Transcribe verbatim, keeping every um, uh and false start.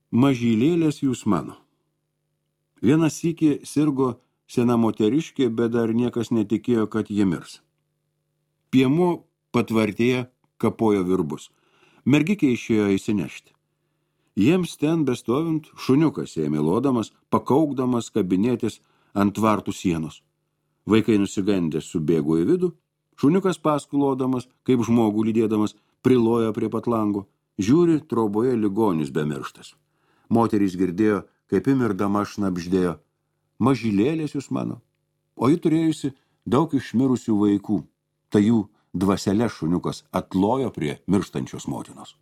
Mažylėlės jūs mano. Vienas sykį sirgo sena moteriškė, bet dar niekas netikėjo, kad ji mirs. Piemu patvartėje kapojo virbus. Mergikė išėjo įsinešti. Jiems ten bestovint šuniukas ėmė lodamas, pakaukdamas kabinėtis ant tvartų sienos. Vaikai nusigandęs subėgo į vidų, šuniukas paskulodamas, kaip žmogų lydėdamas, prilojo prie pat lango. Žiūri, troboje ligonis bemirštas. Moterys girdėjo, kaip imirdama šnabždėjo: mažylėlės jūs mano. O ji turėjusi daug išmirusių vaikų. Tai jų dvaselė šuniukas atlojo prie mirštančios motinos.